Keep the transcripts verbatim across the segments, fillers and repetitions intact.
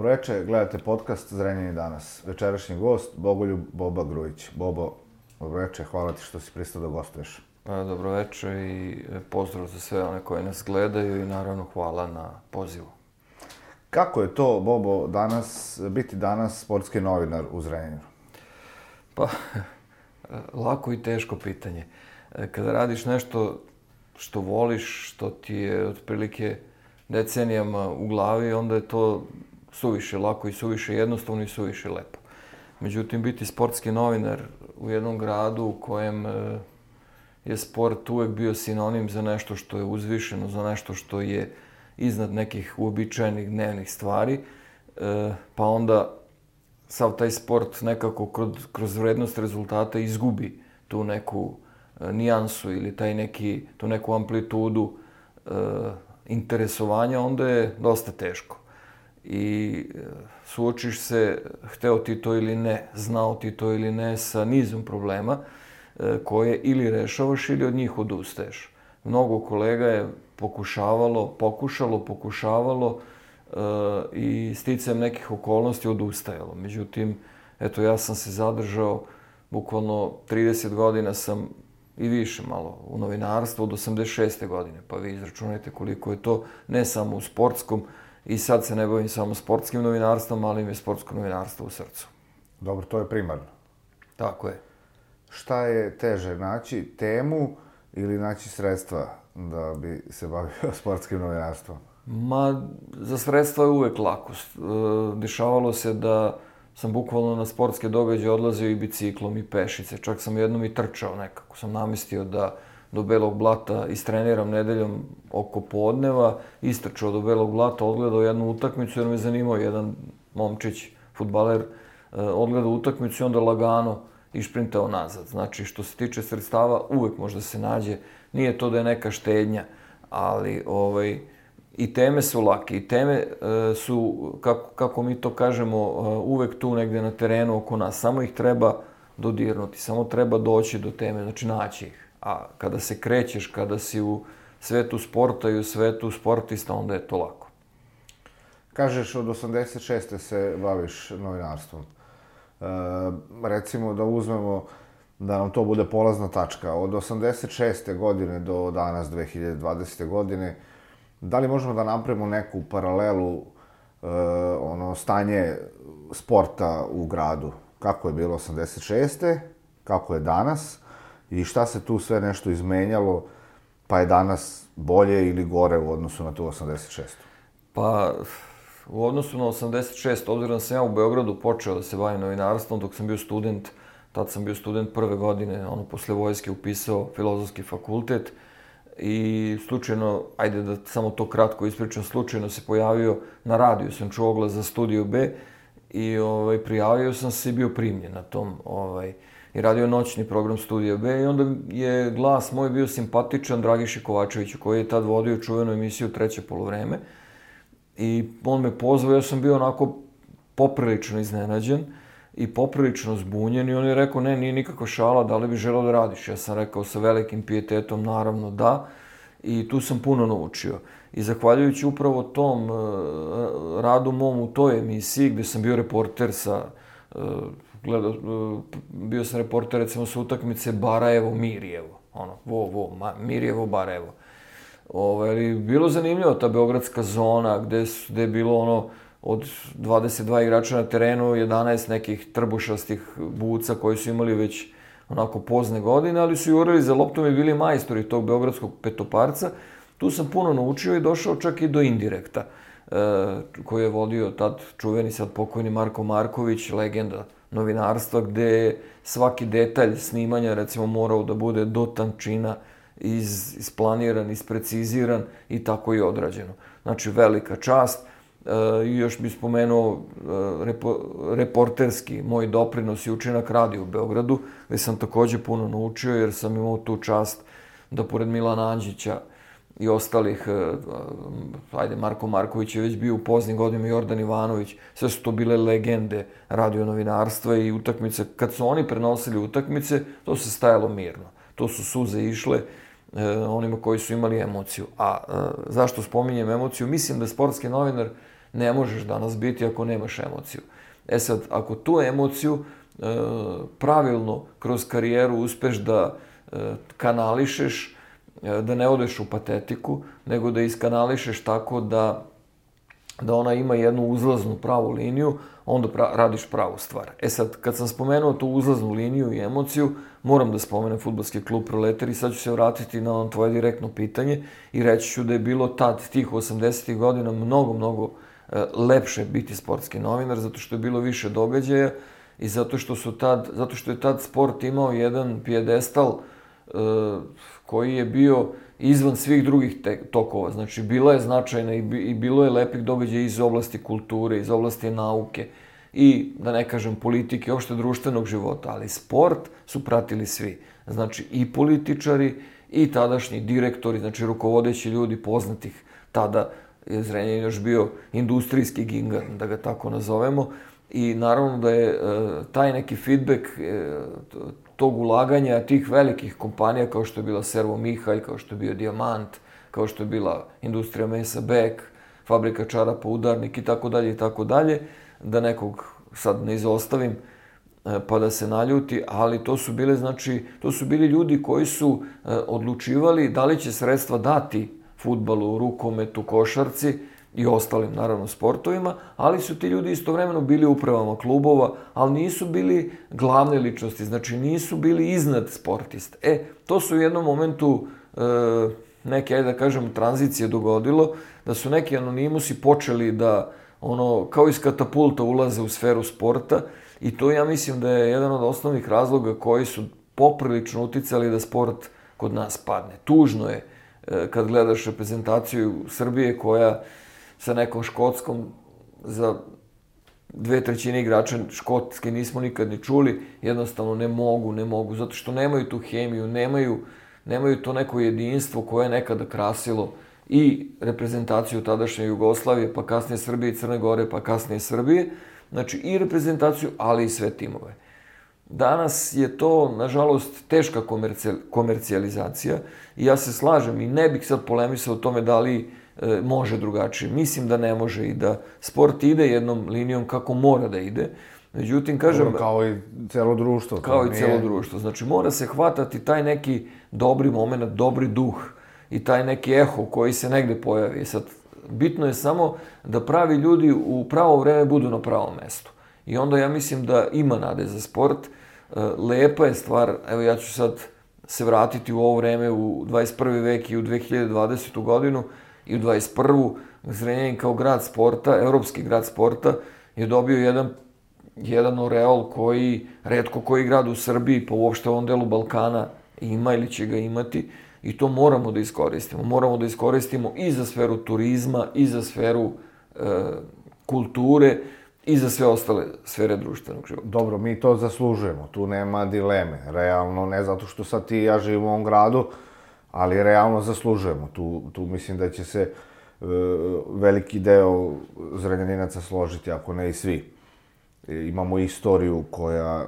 veče, gledate podcast Zrenjanin danas. Večerašnji gost, Bogoljub Boba Grujić. Bobo, dobro veče, hvala ti što si pristao da gostuješ. Dobro veče i pozdrav za sve one koji nas gledaju i naravno hvala na pozivu. Kako je to, Bobo, danas, biti danas sportski novinar u Zrenjaninu? Pa, lako i teško pitanje. Kada radiš nešto što voliš, što ti je otprilike decenijama u glavi, onda je to suviše lako i suviše jednostavno i suviše lepo. Međutim, biti sportski novinar u jednom gradu u kojem je sport uvek bio sinonim za nešto što je uzvišeno, za nešto što je iznad nekih uobičajenih dnevnih stvari, pa onda sav taj sport nekako kroz, kroz vrednost rezultata izgubi tu neku nijansu ili taj neki, tu neku amplitudu e, interesovanja, onda je dosta teško. I suočiš se, hteo ti to ili ne, znao ti to ili ne, sa nizom problema e, koje ili rešavaš ili od njih odustaješ. Mnogo kolega je pokušavalo, pokušalo, pokušavalo e, i sticajem nekih okolnosti odustajalo. Međutim, eto, ja sam se zadržao, bukvalno trideset godina sam i više malo u novinarstvu od osamdeset šeste godine, pa vi izračunajte koliko je to, ne samo u sportskom, i sad se ne bavim samo sportskim novinarstvom, ali mi je sportsko novinarstvo u srcu. Dobro, to je primarno. Tako je. Šta je teže, naći temu ili naći sredstva da bi se bavio sportskim novinarstvom? Ma, za sredstva je uvek lako. Dešavalo se da sam bukvalno na sportske događaje odlazio i biciklom i pešice. Čak sam jednom i trčao nekako. Sam namestio da do Belog Blata istreniram nedeljom oko podneva, istrčao do Belog Blata, odgledao jednu utakmicu jer me zanimao jedan momčić, fudbaler, odgledao utakmicu i onda lagano išprintao nazad. Znači, što se tiče sredstava, uvek može da se nađe. Nije to da je neka štednja, ali ovaj, i teme su lake, i teme e, su, kako, kako mi to kažemo, e, uvek tu negde na terenu oko nas. Samo ih treba dodirnuti, samo treba doći do teme, znači naći ih. A kada se krećeš, kada si u svetu sporta i u svetu sportista, onda je to lako. Kažeš, od osamdeset šeste se baviš novinarstvom. E, recimo da uzmemo da nam to bude polazna tačka. Od osamdeset šeste godine do danas, dve hiljade dvadesete. godine, da li možemo da napravimo neku paralelu, e, ono, stanje sporta u gradu? Kako je bilo osamdeset šeste. Kako je danas? I šta se tu sve nešto izmenjalo, pa je danas bolje ili gore u odnosu na tu osamdeset šestu. Pa, u odnosu na osamdeset šestu. obzirom da sam ja u Beogradu počeo da se bavim novinarstvom dok sam bio student, tad sam bio student prve godine, ono, posle vojske upisao Filozofski fakultet, i slučajno, ajde da samo to kratko ispričam, slučajno se pojavio na radiju, sam čuo oglas za Studio B i ovaj, prijavio sam se i bio primljen na tom, ovaj, i radio noćni program Studio B i onda je glas moj bio simpatičan Dragiši Kovačeviću, koji je tad vodio čuvenu emisiju Treće poluvreme, i on me pozvao, ja sam bio onako poprilično iznenađen i poprilično zbunjen i on je rekao, ne, nije nikakva šala, da li bi želeo da radiš? Ja sam rekao sa velikim pijetetom, naravno da, i tu sam puno naučio. I zahvaljujući upravo tom uh, radu mom u toj emisiji, gde sam bio reporter sa, uh, gledao, uh, bio sam reporter recimo sa utakmice Barajevo-Mirjevo, ono, vo, vo, ma, Mirjevo-Barajevo. Ovaj, bilo zanimljivo ta beogradska zona, gde, gde je bilo ono, od dvadeset dva igrača na terenu, jedanaest nekih trbušastih buca koji su imali već onako pozne godine, ali su jurili za loptom i bili majstori tog beogradskog petoparca. Tu sam puno naučio i došao čak i do indirekta, e, koji je vodio tad čuveni sad pokojni Marko Marković, legenda novinarstva, gde je svaki detalj snimanja recimo morao da bude do tančina iz, isplaniran, ispreciziran i tako i odrađeno. Znači, velika čast. I još bih spomenuo repo, reporterski moj doprinos i učinak radija u Beogradu, gde sam takođe puno naučio, jer sam imao tu čast da pored Milana Anđića i ostalih, ajde, Marko Marković je već bio u poznim godinama, Jordan Ivanović, sve su to bile legende radionovinarstva i utakmice. Kad su oni prenosili utakmice, to se stajalo mirno. To su suze išle onima koji su imali emociju. A zašto spominjem emociju? Mislim da sportski novinar ne možeš danas biti ako nemaš emociju. E sad, ako tu emociju e, pravilno kroz karijeru uspeš da e, kanališeš, e, da ne odeš u patetiku, nego da iskanališeš tako da, da ona ima jednu uzlaznu pravu liniju, onda pra, radiš pravu stvar. E sad, kad sam spomenuo tu uzlaznu liniju i emociju, moram da spomenem Fudbalski klub Proletar i sad ću se vratiti na ono tvoje direktno pitanje i reći ću da je bilo tad, tih osamdesetih godina, mnogo, mnogo e, lepše biti sportski novinar, zato što je bilo više događaja i zato što, su tad, zato što je tad sport imao jedan pijedestal e, koji je bio izvan svih drugih te, tokova. Znači, bila je značajna i, bi, i bilo je lepih događaja iz oblasti kulture, iz oblasti nauke i, da ne kažem, politike, uopšte društvenog života, ali sport su pratili svi. Znači, i političari, i tadašnji direktori, znači rukovodeći ljudi poznatih. Tada je Zrenjanin još bio industrijski gigant, da ga tako nazovemo, i naravno da je e, taj neki feedback e, tog ulaganja tih velikih kompanija kao što je bila Servo Mihalj, kao što je bio Dijamant, kao što je bila Industrija mesa Bek, Fabrika čarapa Udarnik i tako dalje i tako dalje, da nekog sad ne izostavim pa da se naljuti, ali to su bile, znači, to su bili ljudi koji su odlučivali da li će sredstva dati fudbalu, rukometu, košarci i ostalim, naravno, sportovima, ali su ti ljudi istovremeno bili u upravama klubova, ali nisu bili glavne ličnosti, znači nisu bili iznad sportista. E, to su u jednom momentu e, neke, ajde da kažem, tranzicije dogodilo, da su neki anonimusi počeli da, ono, kao iz katapulta ulaze u sferu sporta i to ja mislim da je jedan od osnovnih razloga koji su poprilično uticali da sport kod nas padne. Tužno je e, kad gledaš reprezentaciju Srbije koja sa nekom Škotskom, za dve trećine igrača Škotske nismo nikad ni čuli, jednostavno ne mogu, ne mogu, zato što nemaju tu hemiju, nemaju, nemaju to neko jedinstvo koje je nekada krasilo i reprezentaciju tadašnje Jugoslavije, pa kasnije Srbije i Crne Gore, pa kasnije Srbije, znači i reprezentaciju, ali i sve timove. Danas je to, nažalost, teška komercijalizacija i ja se slažem i ne bih sad polemisao o tome da li e, može drugačije. Mislim da ne može i da sport ide jednom linijom kako mora da ide. Međutim, kažem... Kao i celo društvo. Kao i celo društvo. Znači, mora se hvatati taj neki dobri moment, dobri duh i taj neki eho koji se negde pojavi. Sad, bitno je samo da pravi ljudi u pravo vreme budu na pravom mestu. I onda ja mislim da ima nade za sport. Lepa je stvar, evo ja ću sad se vratiti u ovo vreme, u dvadeset prvi vek i u dve hiljade dvadesetu godinu i u dvadeset prvu. Zrenjanin kao grad sporta, evropski grad sporta, je dobio jedan, jedan oreol koji retko koji grad u Srbiji, pa uopšte u ovom delu Balkana ima ili će ga imati. I to moramo da iskoristimo. Moramo da iskoristimo i za sferu turizma, i za sferu e, kulture, i za sve ostale sfere društvenog života. Dobro, mi to zaslužujemo, tu nema dileme. Realno, ne zato što sad ti i ja živimo u ovom gradu, ali realno zaslužujemo. Tu, tu mislim da će se e, veliki deo Zrenjaninaca složiti, ako ne i svi. E, imamo istoriju koja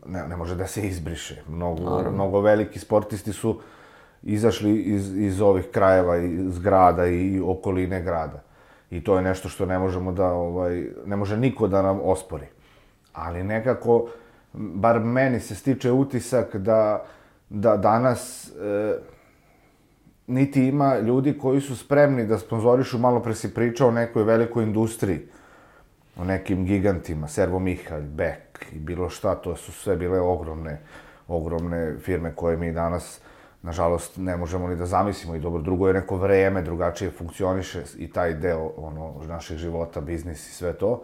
ne, ne može da se izbriše. Mnogo, mnogo veliki sportisti su izašli iz, iz ovih krajeva, iz grada i okoline grada. I to je nešto što ne možemo da, ovaj, ne može niko da nam ospori. Ali nekako, bar meni se stiče utisak da, da danas e, niti ima ljudi koji su spremni da sponzorišu, malo pre si pričao o nekoj velikoj industriji, o nekim gigantima, Servo Mihalj, Bek i bilo šta, to su sve bile ogromne, ogromne firme koje mi danas, nažalost, ne možemo ni da zamislimo. I dobro, drugo je neko vreme, drugačije funkcioniše i taj deo ono, naših života, biznis i sve to.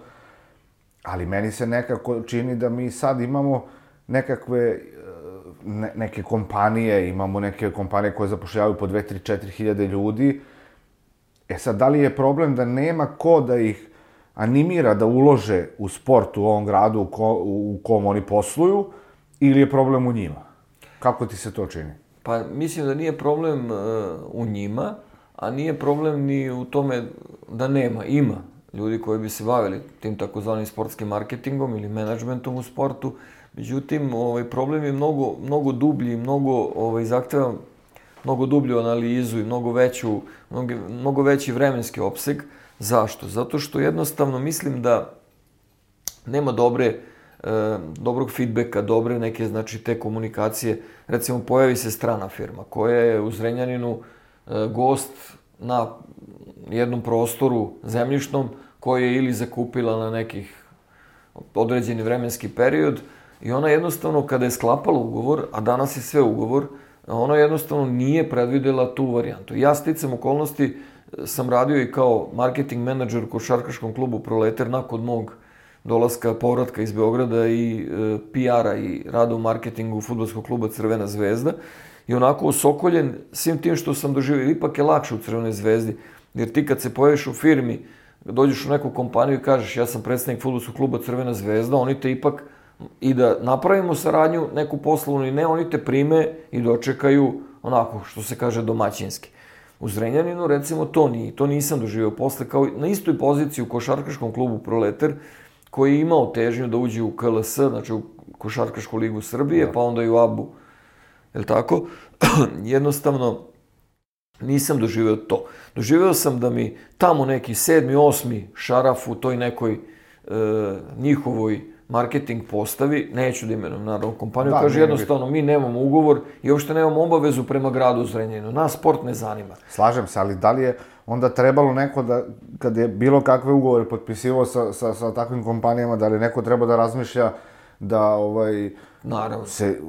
Ali meni se nekako čini da mi sad imamo nekakve ne, neke kompanije, imamo neke kompanije koje zapošljavaju po dve, tri, četiri hiljade ljudi. E sad, da li je problem da nema ko da ih animira da ulože u sport u ovom gradu u, ko, u kom oni posluju, ili je problem u njima? Kako ti se to čini? Pa mislim da nije problem uh, u njima, a nije problem ni u tome da nema. Ima ljudi koji bi se bavili tim takozvanim sportskim marketingom ili menadžmentom u sportu. Međutim, ovaj, problem je mnogo, mnogo dublji, mnogo ovaj, zahteva mnogo dublju analizu i mnogo, veću, mnogo, mnogo veći vremenski opseg, Zašto? Zato što jednostavno mislim da nema dobre, e, dobrog feedbacka, dobre neke, znači, te komunikacije. Recimo, pojavi se strana firma koja je u Zrenjaninu e, gost na jednom prostoru zemljišnom koji je ili zakupila na nekih određeni vremenski period i ona jednostavno, kada je sklapala ugovor, a danas je sve ugovor, ona jednostavno nije predvidela tu varijantu. Ja sticam okolnosti sam radio i kao marketing menadžer u košarkaškom klubu Proletar nakon mog dolaska, povratka iz Beograda i e, P R-a i rada u marketingu fudbalskog kluba Crvena zvezda. I onako osokoljen svim tim što sam doživio. Ipak je lakše u Crvenoj zvezdi, jer ti kad se pojaviš u firmi, dođeš u neku kompaniju i kažeš ja sam predstavnik fudbalskog kluba Crvena zvezda, oni te ipak, i da napravimo saradnju neku poslovnu i ne, oni te prime i dočekaju onako, što se kaže, domaćinski. U Zrenjaninu, recimo, to nije, to nisam doživio posle, kao na istoj poziciji u košarkaškom klubu Proletar, koji je imao težnju da uđe u K L S, znači u Košarkašku ligu Srbije, pa onda i u A B U, je li tako? Jednostavno, nisam doživio to. Doživio sam da mi tamo neki sedmi, osmi šaraf u toj nekoj e, njihovoj marketing postavi, neću da imenujem naravno kompaniju, da, kaže jednostavno mi nemamo ugovor i uopšte nemamo obavezu prema gradu Zrenjaninu. Nas sport ne zanima. Slažem se, ali da li je onda trebalo neko da, kad je bilo kakve ugovore potpisivao sa, sa, sa takvim kompanijama, da li neko treba da razmišlja da ovaj, naravno se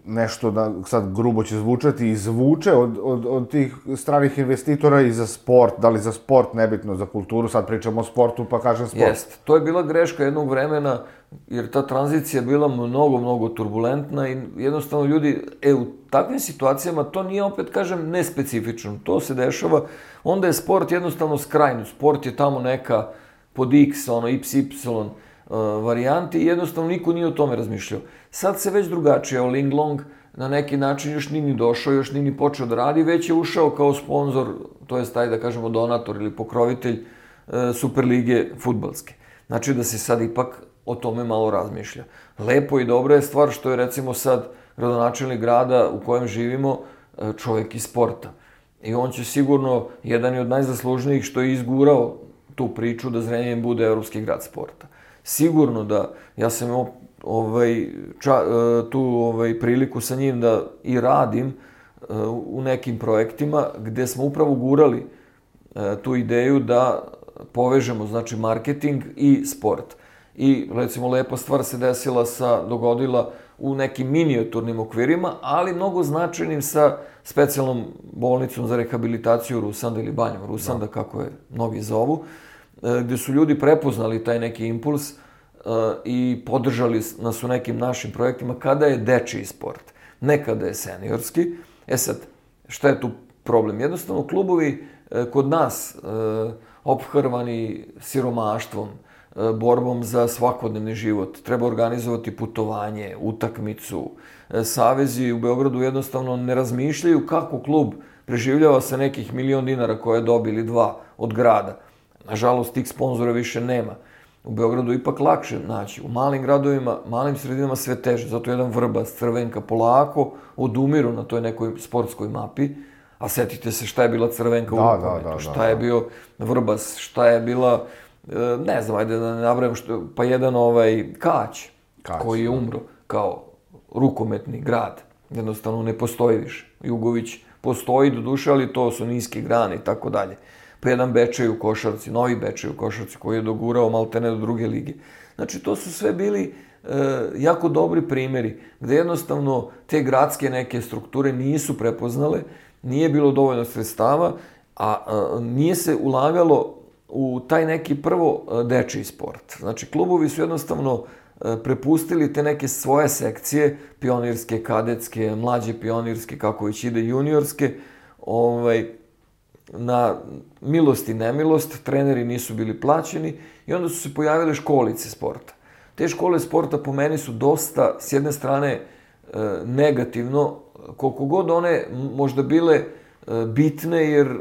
nešto, da sad grubo će zvučati, izvuče od, od, od tih stranih investitora i za sport, da li za sport, nebitno, za kulturu, sad pričamo o sportu pa kažem sport. Jest, to je bila greška jednog vremena, jer ta tranzicija je bila mnogo, mnogo turbulentna i jednostavno ljudi, e, u takvim situacijama, to nije, opet kažem, nespecifično, to se dešava, onda je sport jednostavno skrajnut, sport je tamo neka pod X, ono, iks ipsilon uh, varijanti i jednostavno niko nije o tome razmišljao. Sad se već drugačije, evo Linglong na neki način još nije ni došao, još nije ni počeo da radi, već je ušao kao sponsor, to je taj, da kažemo, donator ili pokrovitelj uh, Superlige fudbalske. Znači da se sad ipak o tome malo razmišlja. Lepo i dobra je stvar što je, recimo, sad gradonačelnik grada u kojem živimo čovjek iz sporta. I on će sigurno, jedan je od najzaslužnijih što je izgurao tu priču da Zrenjanin bude evropski grad sporta. Sigurno da, ja sam imao ovaj, ča, tu ovaj, priliku sa njim da i radim u nekim projektima gdje smo upravo gurali tu ideju da povežemo, znači, marketing i sport. I, recimo, lepa stvar se desila sa, dogodila u nekim minijaturnim okvirima, ali mnogo značajnim sa specijalnom bolnicom za rehabilitaciju Rusanda ili Banjom Rusanda, da. Kako je mnogi zovu, gdje su ljudi prepoznali taj neki impuls i podržali nas u nekim našim projektima kada je dečiji sport, ne kada je seniorski. E sad, šta je tu problem? Jednostavno, klubovi kod nas, ophrvani siromaštvom, borbom za svakodnevni život, treba organizovati putovanje, utakmicu. Savezi u Beogradu jednostavno ne razmišljaju kako klub preživljava sa nekih milion dinara koje je dobili dva od grada. Nažalost, tih sponzora više nema. U Beogradu ipak lakše naći. U malim gradovima, malim sredinama sve teže. Zato jedan Vrbas, Crvenka polako odumiru na toj nekoj sportskoj mapi. A setite se šta je bila Crvenka u rukometu, šta je bio Vrbas, šta je bila, ne znam, ajde da ne nabrajam, što, pa jedan ovaj Kać, Kać koji je umro kao rukometni grad. Jednostavno ne postoji više. Jugović postoji do duše, ali to su niske grane i tako dalje. Pa jedan Bečej u košarci, novi Bečej u košarci koji je dogurao maltene do druge lige. Znači, to su sve bili e, jako dobri primjeri gde jednostavno te gradske neke strukture nisu prepoznale, nije bilo dovoljno sredstava, a, a nije se ulagalo u taj neki prvo dečiji sport. Znači, klubovi su jednostavno prepustili te neke svoje sekcije, pionirske, kadetske, mlađe pionirske, kako već ide, juniorske, ovaj, na milost i nemilost, treneri nisu bili plaćeni i onda su se pojavile školice sporta. Te škole sporta po meni su dosta, s jedne strane, negativno, koliko god one možda bile bitne, jer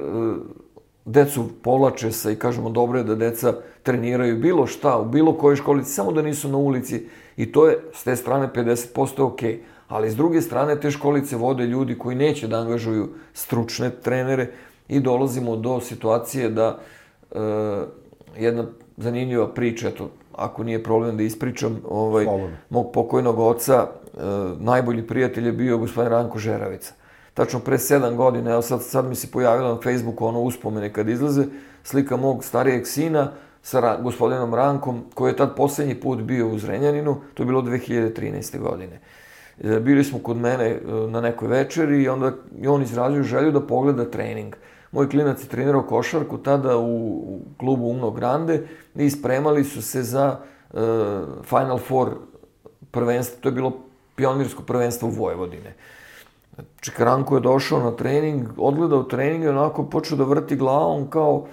decu povlače se i kažemo dobro je da deca treniraju bilo šta, u bilo kojoj školici, samo da nisu na ulici i to je s te strane pedeset posto ok. Ali s druge strane te školice vode ljudi koji neće da angažuju stručne trenere i dolazimo do situacije da jedna zanimljiva priča, eto, ako nije problem da ispričam, ovaj, Slobodno. mog pokojnog oca, najbolji prijatelj je bio gospodin Ranko Žeravica. Tačno pre sedam godina, evo sad, sad mi se pojavila na Facebooku ono uspomene kad izlaze, slika mog starijeg sina sa gospodinom Rankom, koji je tad posljednji put bio u Zrenjaninu, to je bilo dve hiljade trinaeste. godine. Bili smo kod mene na nekoj večeri i onda je on izrazio želju da pogleda trening. Moj klinac je trenirao košarku tada u klubu Umno Grande i spremali su se za uh, Final Four prvenstvo, to je bilo pionirsko prvenstvo u Vojvodine. Čikaranko je došao na trening, odgledao trening i onako počeo da vrti glavom kao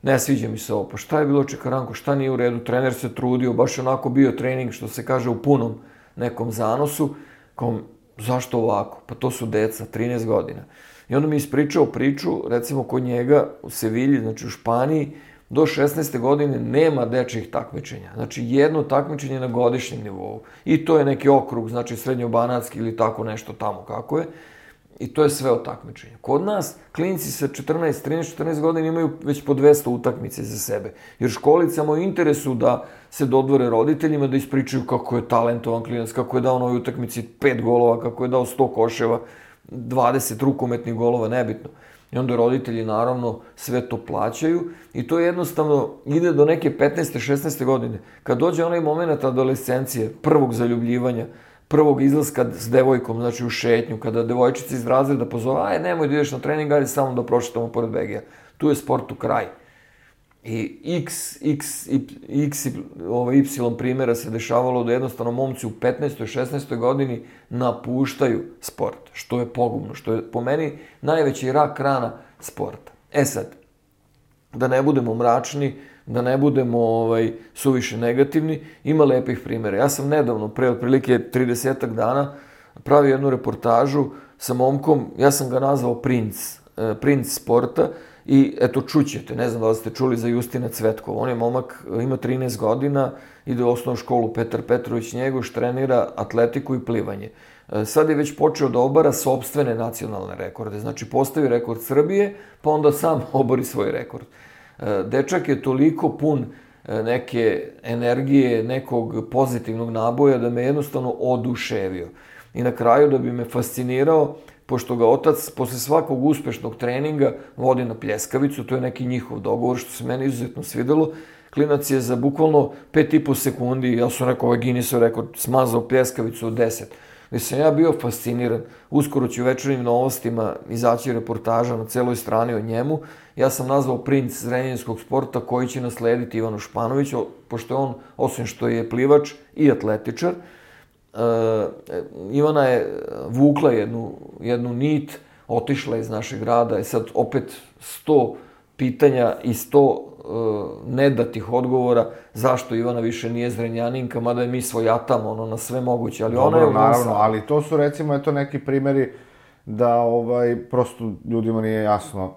ne sviđa mi se ovo, pa šta je bilo Čikaranko, šta nije u redu, trener se trudio, baš onako bio trening što se kaže u punom nekom zanosu, kao zašto ovako, pa to su deca, trinaest godina. I onda mi ispričao priču, recimo kod njega u Sevilji, znači u Španiji, do šesnaeste godine nema dečjih takmičenja. Znači jedno takmičenje na godišnjem nivou. I to je neki okrug, znači srednjobanatski ili tako nešto tamo kako je. I to je sve od takmičenja. Kod nas, klinci sa četrnaest, trinaest, četrnaest godina imaju već po dvesta utakmice za sebe. Jer školicama u interesu da se dodvore roditeljima, da ispričaju kako je talentovan klinac, kako je dao na ovoj utakmici pet golova, kako je dao sto koševa, dvadeset rukometnih golova, nebitno. I onda roditelji naravno sve to plaćaju i to jednostavno ide do neke petnaeste, šesnaeste godine. Kad dođe onaj moment adolescencije, prvog zaljubljivanja, prvog izlaska s devojkom, znači u šetnju, kada devojčica iz razreda pozove, aj nemoj da ideš na trening, ajde samo da prošetamo pored Begija. Tu je sportu kraj. I x, x, x, y primjera se dešavalo da jednostavno momci u petnaestoj, šesnaestoj godini napuštaju sport, što je pogubno, što je po meni najveći rak rana sporta. E sad, da ne budemo mračni, da ne budemo ovaj, suviše negativni, ima lepih primjera. Ja sam nedavno, pre otprilike tridesetak dana, pravio jednu reportažu sa momkom, ja sam ga nazvao princ, princ sporta, i eto čućete, ne znam da li ste čuli za Justina Cvetkova. On je momak, ima trinaest godina, ide u osnovnu školu Petar Petrović Njegoš, trenira atletiku i plivanje. Sad je već počeo da obara sopstvene nacionalne rekorde. Znači postavi rekord Srbije, pa onda sam obori svoj rekord. Dečak je toliko pun neke energije, nekog pozitivnog naboja da me jednostavno oduševio. I na kraju da bi me fascinirao, pošto ga otac posle svakog uspešnog treninga vodi na pljeskavicu, to je neki njihov dogovor, što se meni izuzetno svidelo. Klinac je za bukvalno pet i po sekundi, ja sam rekao, ovaj Guinnessov rekord, smazao pljeskavicu od deset. Gde sam ja bio fasciniran. Uskoro ću u večernjim novostima izaći reportaža na celoj strani o njemu. Ja sam nazvao princ zrenjaninskog sporta koji će naslediti Ivanu Španović, pošto je on, osim što je plivač i atletičar, Uh, Ivana je vukla jednu, jednu nit, otišla iz našeg grada i sad opet sto pitanja i sto uh, nedatih odgovora zašto Ivana više nije Zrenjaninka, mada je mi svojatamo ono, na sve moguće, ali dobro, ona je u naravno, ali to su recimo eto neki primjeri da ovaj, prosto ljudima nije jasno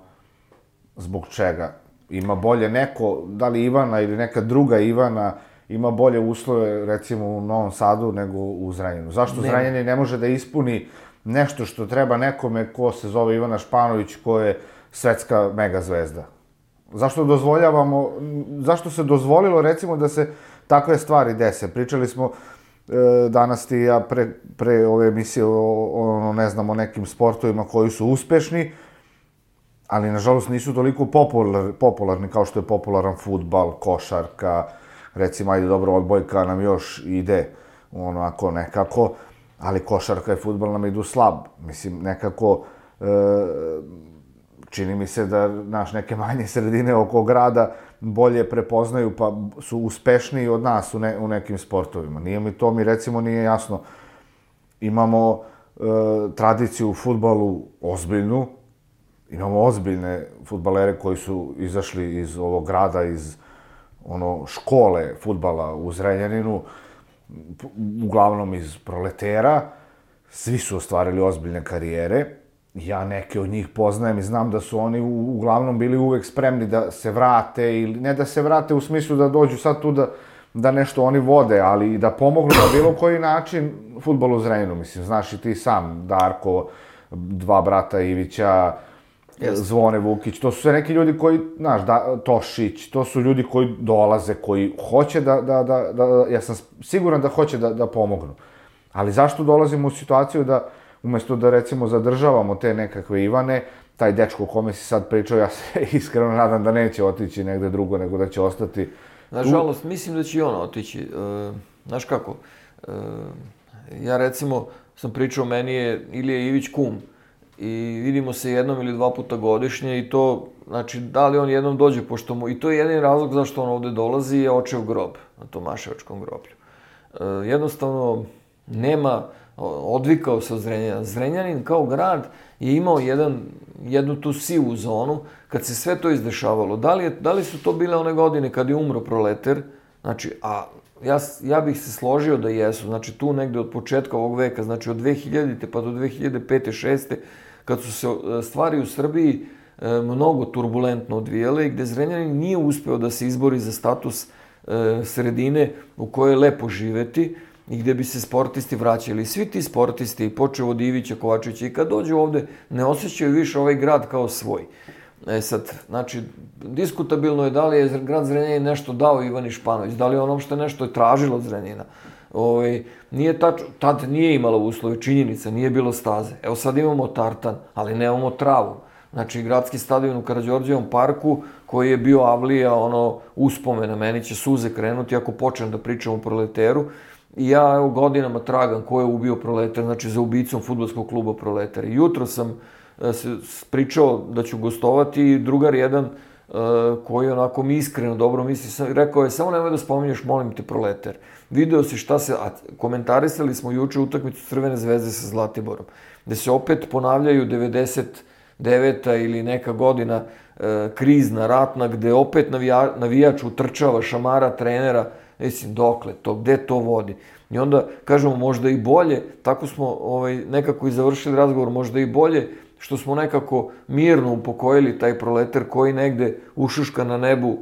zbog čega. Ima bolje neko, da li Ivana ili neka druga Ivana, ima bolje uslove, recimo, u Novom Sadu nego u Zrenjaninu. Zašto Zrenjanin ne može da ispuni nešto što treba nekome ko se zove Ivana Španović, ko je svetska megazvezda? Zašto dozvoljavamo, zašto se dozvolilo, recimo, da se takve stvari dese? Pričali smo e, danas ti i ja pre, pre ove emisije o, o, ne znam, o nekim sportovima koji su uspešni, ali, nažalost, nisu toliko popular, popularni kao što je popularan fudbal, košarka, recimo, ajde, dobro, odbojka nam još ide, onako, nekako, ali košarka i fudbal nam idu slab. Mislim, nekako, e, čini mi se da naš neke manje sredine oko grada bolje prepoznaju, pa su uspešniji od nas u, ne, u nekim sportovima. Nije mi to, mi recimo nije jasno. Imamo e, tradiciju u fudbalu ozbiljnu, imamo ozbiljne fudbalere koji su izašli iz ovog grada, iz ono, škole fudbala u Zrenjaninu, uglavnom iz proletera, svi su ostvarili ozbiljne karijere. Ja neke od njih poznajem i znam da su oni uglavnom bili uvek spremni da se vrate, ili ne da se vrate u smislu da dođu sad tu da, da nešto oni vode, ali i da pomognu na bilo koji način fudbalu u Zrenjaninu. Mislim, znaš i ti sam, Darko, dva brata Ivića, Zvone Vukić, to su sve neki ljudi koji, znaš, da, Tošić, to su ljudi koji dolaze, koji hoće da, da, da, da, ja sam siguran da hoće da, da pomognu. Ali zašto dolazimo u situaciju da, umesto da, recimo, zadržavamo te nekakve Ivane, taj dečko o kome si sad pričao, ja se iskreno nadam da neće otići negde drugo, nego da će ostati... Nažalost, mislim da će i ona otići. Znaš kako, ja recimo sam pričao, meni je Ilija Ivić kum i vidimo se jednom ili dva puta godišnje i to, znači, da li on jednom dođe, pošto mu, i to je jedin razlog zašto on ovde dolazi, je očev grob na Tomaševačkom groblju. Jednostavno, nema, odvikao se od Zrenjanina. Zrenjanin kao grad je imao jedan, jednu tu sivu zonu kad se sve to izdešavalo. Da li, je, da li su to bile one godine kad je umro Proleter? Znači, a ja, ja bih se složio da jesu. Znači, tu negde od početka ovog veka, znači od dve hiljadite pa do dve hiljade pete šeste kad su se stvari u Srbiji e, mnogo turbulentno odvijele i gde Zrenjanin nije uspeo da se izbori za status e, sredine u kojoj je lepo živeti i gde bi se sportisti vraćali. Svi ti sportisti, počeo od Ivića, Kovačevića, i kad dođu ovde, ne osjećaju više ovaj grad kao svoj. E sad, znači, diskutabilno je da li je grad Zrenjanin nešto dao Ivani Španović, da li je ono što je nešto tražilo od Zrenjanina. Ovaj, nije tačno, tad nije imala uslove, činjenica, nije bilo staze. Evo sad imamo tartan, ali nemamo travu. Znači, gradski stadion u Karađorđevom parku, koji je bio avlija, ono, uspomena, meni će suze krenuti ako počnem da pričam o Proleteru. I ja, evo, godinama tragam ko je ubio Proletar, znači za ubicom fudbalskog kluba Proletar. I jutro sam se pričao da ću gostovati i drugar jedan koji onako mi iskreno dobro misli, rekao je, samo nemoj da spominješ, molim te, Proletar. Video si šta se, a komentarisali smo juče utakmicu Crvene zvezde sa Zlatiborom, gde se opet ponavljaju devedeset deveta ili neka godina krizna, ratna, gde opet navija, navijač utrčava, šamara trenera. Mislim, dokle to, gde to vodi? I onda kažemo možda i bolje, tako smo ovaj, nekako i završili razgovor, možda i bolje što smo nekako mirno upokojili taj Proletar koji negde ušuška na nebu,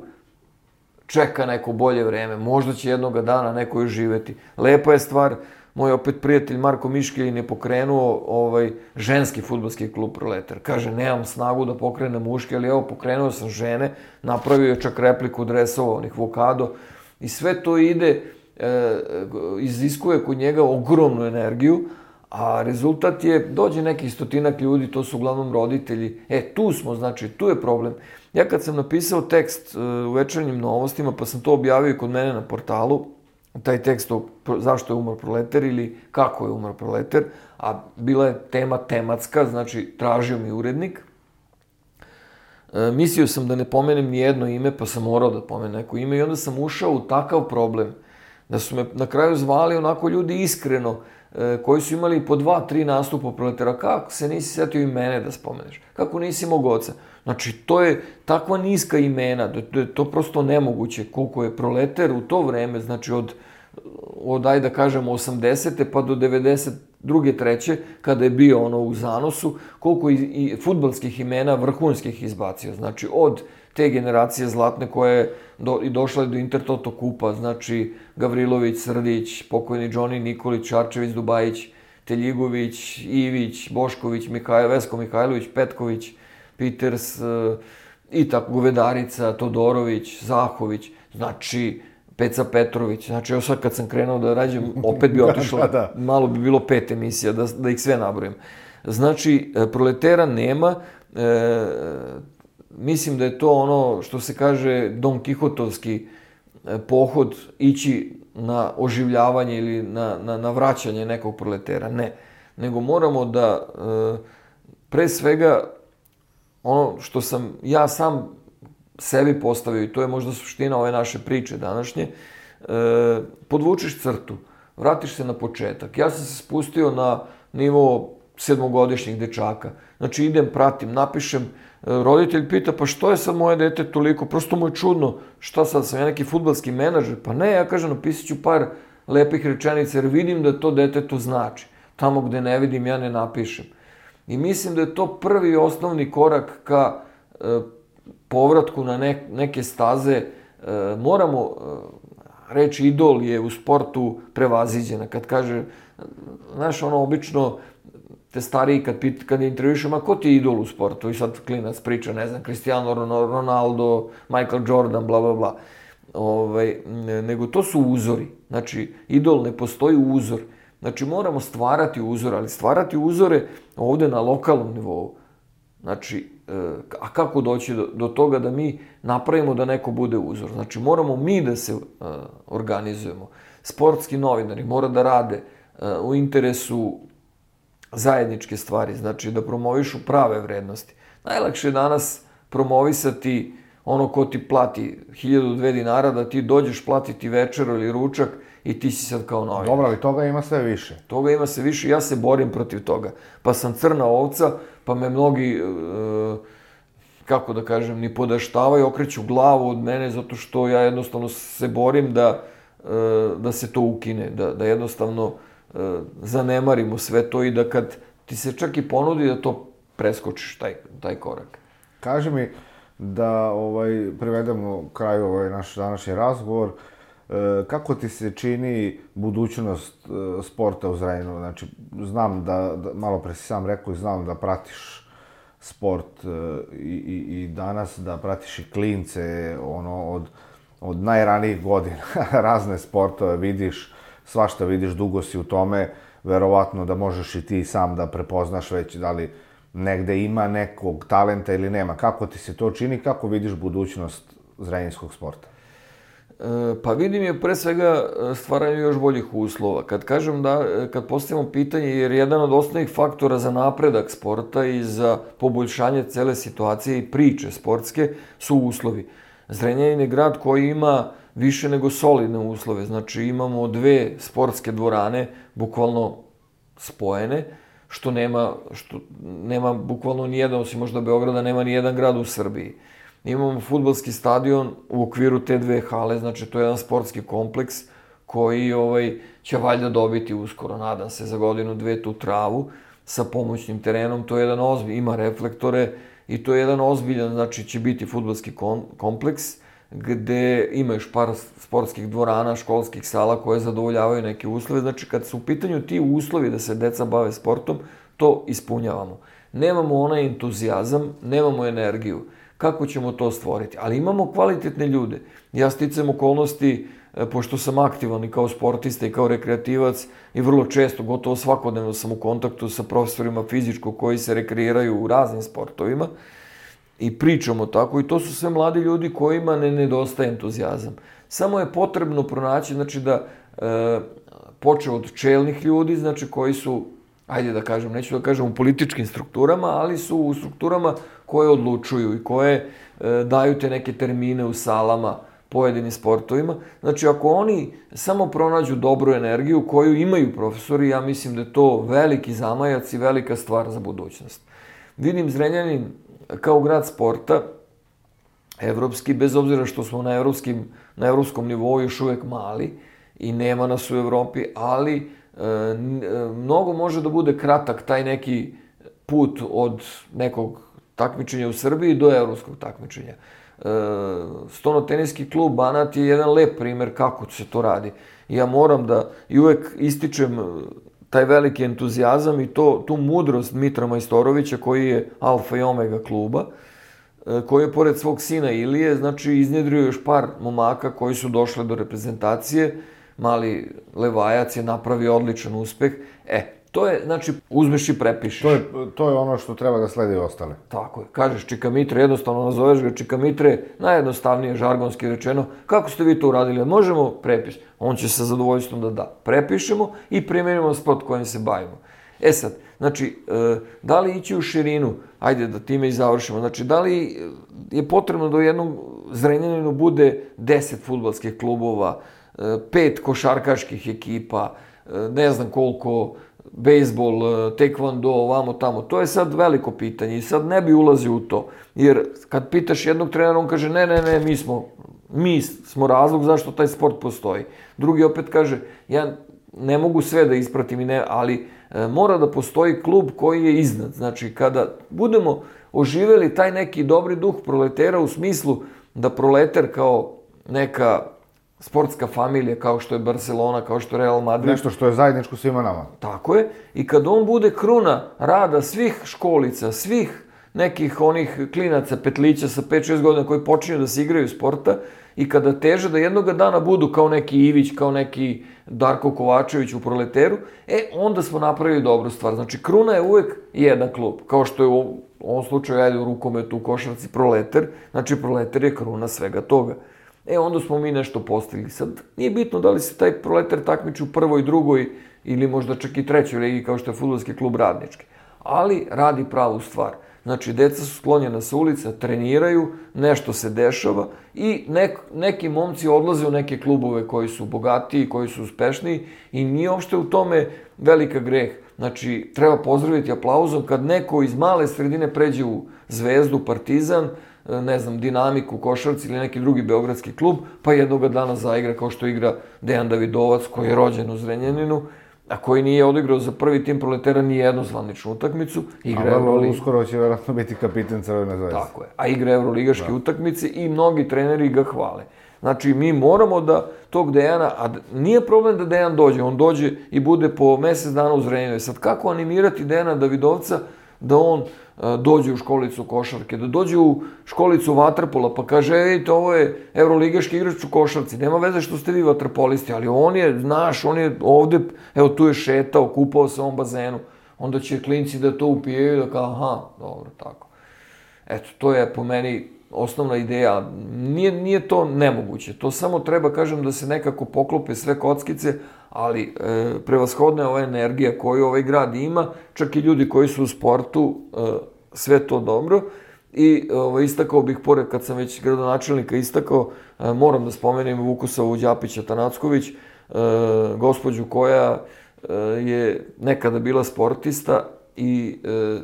čeka neko bolje vreme, možda će jednoga dana neko još živeti. Lepa je stvar, moj opet prijatelj Marko Miškelin je pokrenuo ovaj, ženski fudbalski klub Proletar. Kaže, nemam snagu da pokrenem muške, ali evo, pokrenuo sam žene, napravio je čak repliku dresova, onih Vokado, i sve to ide, e, iziskuje kod njega ogromnu energiju, a rezultat je, dođe neki stotinak ljudi, to su uglavnom roditelji. E, tu smo, znači, tu je problem. Ja kad sam napisao tekst e, u Večernjim novostima, pa sam to objavio kod mene na portalu, taj tekst o zašto je umro Proletar ili kako je umro Proletar, a bila je tema tematska, znači tražio mi urednik. E, mislio sam da ne pomenem ni jedno ime, pa sam morao da pomenem neko ime i onda sam ušao u takav problem da su me na kraju zvali onako ljudi iskreno, e, koji su imali po dva, tri nastupa Proletara. Kako se nisi setio i mene da spomeneš? Kako nisi mog oca? Znači, to je takva niska imena, da je to prosto nemoguće koliko je Proletar u to vreme, znači od, od ajde da kažemo, osamdesete pa do devedeset druge, treće, kada je bio ono u zanosu, koliko i, i fudbalskih imena vrhunskih izbacio. Znači, od te generacije zlatne koja je do, i došla do Intertoto kupa, znači Gavrilović, Srdić, pokojni Džoni Nikolić, Šarčević, Dubajić, Teljigović, Ivić, Bošković, Mihaj, Vesko Mihajlović, Petković, Peters, i tako Govedarica, Todorović, Zahović, znači Peca Petrović, znači evo sad kad sam krenuo da rađem, opet bi otišlo, da, da. Malo bi bilo pet emisija, da, da ih sve nabrojim. Znači, Proletera nema, e, mislim da je to ono što se kaže Don Kihotovski pohod, ići na oživljavanje ili na, na, na vraćanje nekog Proletera, ne. Nego moramo da, e, pre svega, ono što sam ja sam sebi postavio, i to je možda suština ove naše priče današnje, e, podvučiš crtu, vratiš se na početak. Ja sam se spustio na nivo sedmogodišnjih dečaka. Znači idem, pratim, napišem, roditelj pita, pa što je sad moje dete toliko, prosto mu je čudno, šta sad, sam ja neki fudbalski menadžer? Pa ne, ja kažem, napisat ću par lepih rečenica, jer vidim da to dete to znači. Tamo gde ne vidim, ja ne napišem. I mislim da je to prvi osnovni korak ka e, povratku na ne, neke staze. E, moramo, e, reći idol je u sportu prevaziđena. Kad kaže, znaš, ono, obično te stariji kad, pit, kad intervjušem, a ko ti je idol u sportu? I sad klinac priča, ne znam, Cristiano Ronaldo, Michael Jordan, bla, bla, bla. Ovaj, nego to su uzori. Znači, idol ne postoji uzor. Znači, moramo stvarati uzor, ali stvarati uzore ovde na lokalnom nivou. Znači, a kako doći do, do toga da mi napravimo da neko bude uzor? Znači, moramo mi da se uh, organizujemo. Sportski novinari mora da rade uh, u interesu zajedničke stvari, znači da promovišu prave vrednosti. Najlakše je danas promovisati ono ko ti plati hiljadu dve dinara, da ti dođeš platiti večeru ili ručak i ti si sad kao novinar. Dobro, ali toga ima sve više. Toga ima sve više, ja se borim protiv toga. Pa sam crna ovca, pa me mnogi, e, kako da kažem, ni podaštavaju, okreću glavu od mene, zato što ja jednostavno se borim da, e, da se to ukine, da, da jednostavno e, zanemarimo sve to i da kad ti se čak i ponudi da to preskočiš, taj, taj korak. Kaži mi da ovaj, privedemo kraju ovaj naš današnji razgovor. Kako ti se čini budućnost sporta u Zrenjaninu? Znači, znam da, da malo pre si sam rekao i znam da pratiš sport i, i, i danas, da pratiš i klince, ono, od, od najranijih godina, razne sportove vidiš, svašta vidiš, dugo si u tome, verovatno da možeš i ti sam da prepoznaš već da li negde ima nekog talenta ili nema. Kako ti se to čini, kako vidiš budućnost zrenjaninskog sporta? Pa vidim je pre svega stvaranje još boljih uslova. Kad kažem da, kad postavimo pitanje, jer jedan od osnovnih faktora za napredak sporta i za poboljšanje cele situacije i priče sportske su uslovi. Zrenjanin je grad koji ima više nego solidne uslove. Znači imamo dve sportske dvorane, bukvalno spojene, što nema, što nema bukvalno nijedan, osim možda Beograda, nema nijedan grad u Srbiji. Imamo fudbalski stadion u okviru te dve hale, znači to je jedan sportski kompleks koji ovaj, će valjda dobiti uskoro, nadam se, za godinu, dve tu travu sa pomoćnim terenom. To je jedan ozbilj, ima reflektore i to je jedan ozbiljan, znači će biti fudbalski kompleks gde ima još par sportskih dvorana, školskih sala koje zadovoljavaju neke uslove. Znači kad su u pitanju ti uslovi da se deca bave sportom, to ispunjavamo. Nemamo onaj entuzijazam, nemamo energiju. Kako ćemo to stvoriti? Ali imamo kvalitetne ljude. Ja sticam okolnosti, pošto sam aktivan i kao sportista i kao rekreativac i vrlo često, gotovo svakodnevno sam u kontaktu sa profesorima fizičkog koji se rekreiraju u raznim sportovima i pričamo tako i to su sve mladi ljudi kojima ne nedostaje entuzijazam. Samo je potrebno pronaći, znači da e, počeo od čelnih ljudi, znači koji su, ajde da kažem, neću da kažem u političkim strukturama, ali su u strukturama koje odlučuju i koje e, daju te neke termine u salama pojedinim sportovima. Znači, ako oni samo pronađu dobru energiju koju imaju profesori, ja mislim da je to veliki zamajac i velika stvar za budućnost. Vidim Zrenjanin kao grad sporta, evropski, bez obzira što smo na, evropskim, na evropskom nivou još uvek mali i nema nas u Evropi, ali e, mnogo može da bude kratak taj neki put od nekog takmičenja u Srbiji do evropskog takmičenja. E, Stono-teniski klub Banat je jedan lep primer kako se to radi. Ja moram da i uvek ističem taj veliki entuzijazam i to, tu mudrost Mitra Majstorovića koji je alfa i omega kluba, e, koji je pored svog sina Ilije, znači iznjedrio još par momaka koji su došli do reprezentacije. Mali Levajac je napravio odličan uspeh. E, to je, znači, uzmeš i prepišeš. To je, to je ono što treba da sledi ostale. Tako je. Kažeš Čika Mitre, jednostavno nazoveš ga Čika Mitre, najjednostavnije, žargonski rečeno. Kako ste vi to uradili? Možemo prepis. On će sa zadovoljstvom da da. Prepišemo i primjenimo sport kojim se bavimo. E sad, znači, da li ići u širinu? Ajde da time i završimo. Znači, da li je potrebno da u jednom Zrenjaninu bude deset fudbalskih klubova, pet košarkaških ekipa, ne znam koliko, bejsbol, tekvando, ovamo tamo. To je sad veliko pitanje i sad ne bi ulazio u to. Jer kad pitaš jednog trenera, on kaže ne, ne, ne, mi smo, mi smo razlog zašto taj sport postoji. Drugi opet kaže, ja ne mogu sve da ispratim, i ne, ali e, mora da postoji klub koji je iznad. Znači, kada budemo oživeli taj neki dobri duh proletera u smislu da proleter kao neka sportska familija kao što je Barcelona, kao što je Real Madrid. Nešto što je zajedničko svima nama. Tako je. I kad on bude kruna rada svih školica, svih nekih onih klinaca, petlića sa pet šest godina koji počinju da se igraju sporta i kada teže da jednoga dana budu kao neki Ivić, kao neki Darko Kovačević u Proleteru, e, onda smo napravili dobru stvar. Znači, kruna je uvek jedan klub, kao što je u ovom slučaju, ajde, u rukometu, u košarci Proleter, znači Proleter je kruna svega toga. E, onda smo mi nešto postigli. Sad, nije bitno da li se taj Proleter takmiči u prvoj, drugoj ili možda čak i trećoj ligi, kao što je fudbalski klub Radnički. Ali radi pravu stvar. Znači, deca su sklonjena sa ulica, treniraju, nešto se dešava i nek, neki momci odlaze u neke klubove koji su bogatiji, koji su uspešniji i nije uopšte u tome velika greh. Znači, treba pozdraviti aplauzom kad neko iz male sredine pređe u Zvezdu, Partizan, ne znam, Dinamiku, Košarci ili neki drugi beogradski klub, pa jednoga dana zaigra kao što igra Dejan Davidovac, koji je rođen u Zrenjaninu, a koji nije odigrao za prvi tim Proletera ni jednu zvaničnu utakmicu. Igra a vrlo uskoro će vjerojatno biti kapiten Crvene zvezde. Tako je. A igra evroligaške utakmice i mnogi treneri ga hvale. Znači, mi moramo da tog Dejana, a nije problem da Dejan dođe, on dođe i bude po mesec dana u Zrenjaninu. Sad, kako animirati Dejana Davidovca da on dođe u školicu košarke, da dođe u školicu vaterpola, pa kaže, e, vidite, ovo je evroligaški igrač u košarci, nema veze što ste vi vaterpolisti, ali on je, znaš, on je ovde, evo, tu je šetao, kupao se u ovom bazenu, onda će klinci da to upijaju, da kao, aha, dobro, tako. Eto, to je po meni osnovna ideja. Nije, nije to nemoguće, to samo treba, kažem, da se nekako poklope sve kockice, ali e, prevashodna je ova energija koju ovaj grad ima, čak i ljudi koji su u sportu, e, sve to dobro. I e, istakao bih, pored kad sam već gradonačelnika istakao, e, moram da spomenem Vukosavu Đapića Tanacković, e, gospođu koja e, je nekada bila sportista i, e,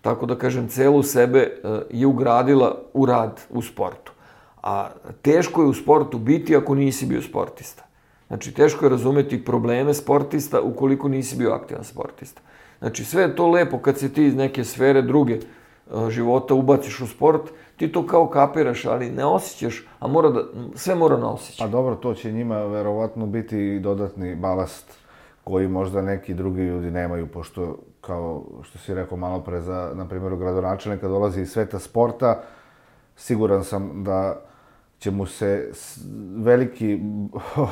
tako da kažem, celu sebe e, je ugradila u rad u sportu. A teško je u sportu biti ako nisi bio sportista. Znači, teško je razumeti probleme sportista ukoliko nisi bio aktivan sportista. Znači, sve je to lepo kad se ti iz neke sfere druge života ubaciš u sport, ti to kao kapiraš, ali ne osjećaš, a mora da, sve mora na osjećaj. Pa dobro, to će njima verovatno biti dodatni balast koji možda neki drugi ljudi nemaju, pošto, kao što si rekao malo pre za, na primjer, gradonačelnika dolazi iz sveta sporta, siguran sam da će mu se veliki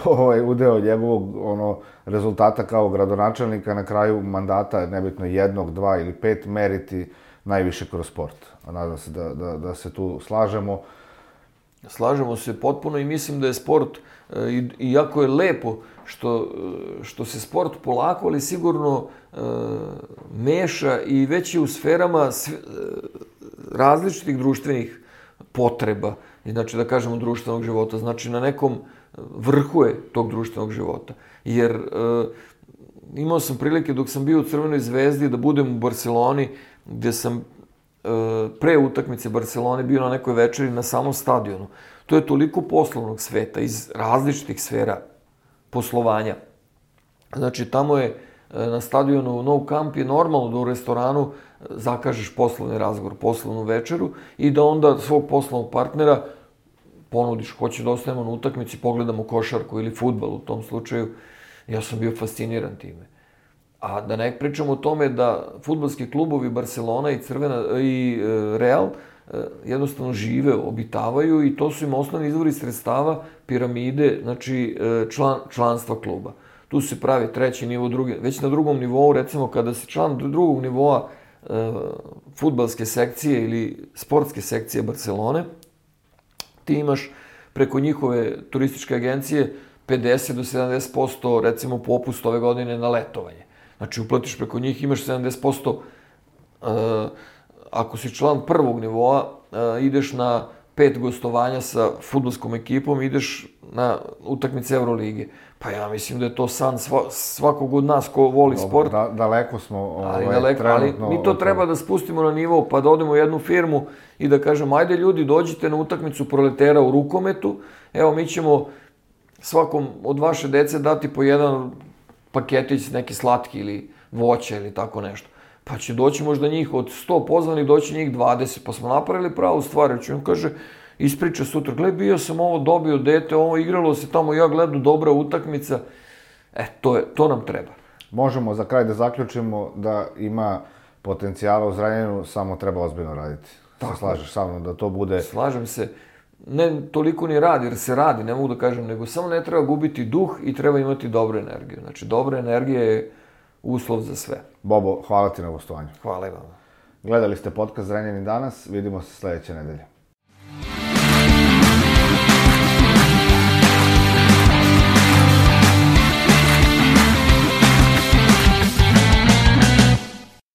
ovaj udeo njegovog ono rezultata kao gradonačelnika na kraju mandata, nebitno jednog, dva ili pet, meriti najviše kroz sport. A nadam se da, da, da se tu slažemo. Slažemo se potpuno i mislim da je sport, i jako je lepo što, što se sport polako, ali sigurno e, meša i već je u sferama sve, različitih društvenih potreba. Znači, da kažemo, društvenog života. Znači, na nekom vrhu je tog društvenog života. Jer e, imao sam prilike dok sam bio u Crvenoj zvezdi da budem u Barceloni, gde sam e, pre utakmice Barcelone bio na nekoj večeri na samom stadionu. To je toliko poslovnog sveta iz različitih sfera poslovanja. Znači, tamo je na stadionu Nou Camp je normalno da u restoranu zakažeš poslovni razgovor, poslovnu večeru i da onda svog poslovnog partnera ponudiš, hoće da ostanemo na utakmici, pogledamo košarku ili fudbal u tom slučaju. Ja sam bio fasciniran time. A da ne pričamo o tome da fudbalski klubovi Barcelona i Crvena i Real jednostavno žive, obitavaju i to su im osnovni izvori sredstava, piramide, znači član, članstva kluba. Tu se pravi treći nivo, drugi, već na drugom nivou, recimo kada si član drugog nivoa e, fudbalske sekcije ili sportske sekcije Barcelone, ti imaš preko njihove turističke agencije pedeset do sedamdeset posto recimo popust ove godine na letovanje. Znači uplatiš preko njih, imaš sedamdeset posto e, ako si član prvog nivoa, e, ideš na pet gostovanja sa fudbalskom ekipom, ideš na utakmice Evrolige. Pa ja mislim da je to san svakog od nas ko voli Dobar, sport. Da, daleko smo ovaj, ali, daleko, trenutno... Ali mi to treba da spustimo na nivo, pa da odemo u jednu firmu i da kažemo, ajde ljudi, dođite na utakmicu Proletera u rukometu, evo mi ćemo svakom od vaše dece dati po jedan paketić, neki slatki ili voće ili tako nešto. Pa će doći možda njih od sto pozvanih, doći njih dvadeset, pa smo napravili pravu stvar. Znači on kaže, ispriča sutra, gle, bio sam ovo, dobio dete, ovo igralo se tamo, ja gledam, dobra utakmica. E, to, je, to nam treba. Možemo za kraj da zaključimo da ima potencijala u Zrenjaninu, samo treba ozbiljno raditi. Tako. Se slažeš sa mnom da to bude... Slažem se. Ne toliko ni radi, jer se radi, ne mogu da kažem, nego samo ne treba gubiti duh i treba imati dobru energiju. Znači, dobra energija je uslov za sve. Bobo, hvala ti na gostovanju. Hvala i vama. Gledali ste podcast Zrenjanin danas, vidimo se sledeće nedelje.